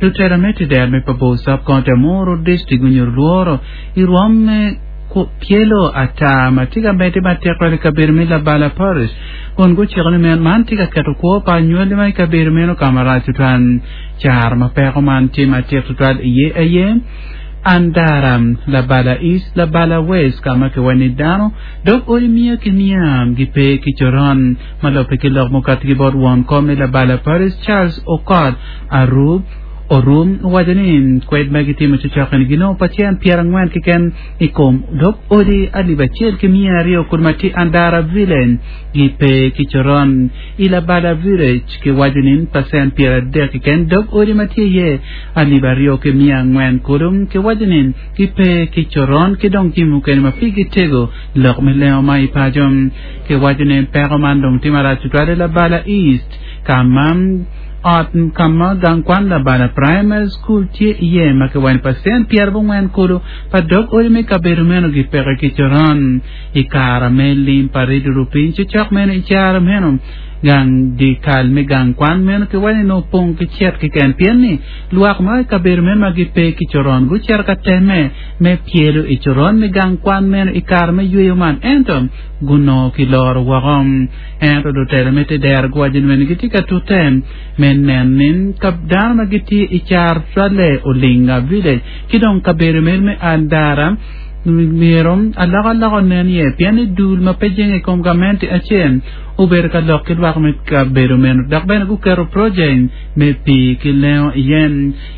Lutela me Tider me Pabor Sub-County Amuru District gunyuto lworo i rwom me pyelo ata ma tye ka medde matek twal i kabedo me Labala Parish kun guciko ni man tye ka keto kwo pa anywali ma i kabedo meno ka marac tutwal. Caro ma peko man tye matek tutwal iye aye Andara, Labala East, Labala West ka ma kiwaco ni dano dog odi miya ki miya gipe ki coron. Ma lubbe ki lok mukati ki bot won kom me Labala Parish Charles Okot Arub, Orum owaco ni kwed ma gitimo cocok-ni ginongo pacen 40 keken i kom dog odi alip acel ki 200 kulu ma tye Andara Village gipe ki coron. I Labala Village kiwaco ni pacen 30 keken dog odi ma tye iye alip aryo ki miya angwen kulu kiwaco ni gipe ki coron ki dong jami mukene ma pigi tego lok me lengo ma i paco. Kiwaco ni peko man dong tye marac tutwal i Labala East ka ma ot ka ma gang kwan Labala Primary School tye iye ma kiwaco ni pacen pyerabongwen kulu pa dog odi me kabedo meno gipeke ki coron. I kare me lim pa Redio Rupiny cocok meno i caro meno, gang dye kal me gang kwan meno kiwaco ni nongo opong ki cet keken pien ni lwak ma i kabedo meno ma gipe ki coron gucito ka temme me pyelo i coron me gang kwan meno i kare me yweyo man ento gunongo kiloro woko. Ento lutela me tedero guwaco ni bene gitye ka tute me neno ni ka dano ma gitye i caro tutwalle Olinga Village ki dong kabedo meno me Andara myero alokaloka onen iye pien ni dul ma pe jenge i kom gamente acel obedo ka lok ki lwak me kabedo meno dok bene guketo project me pii ki lengo iye.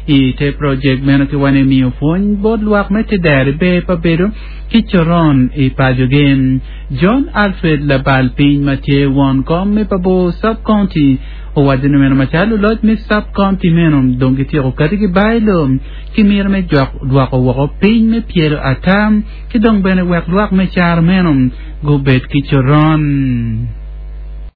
I te project meno ki wani miyo pwony bot lwak me tedero i ber pa bedo ki coron i pacogi. John Alfred labal piny ma tye won kom me Pabor Sub-County owaco ni meno macalo luloc me sub-county meno dong gityeko kati ki bailo ki mito me jwak dwoko woko piny me pyelo ata ki dong bene wek lwak me caro meno gubed ki coron.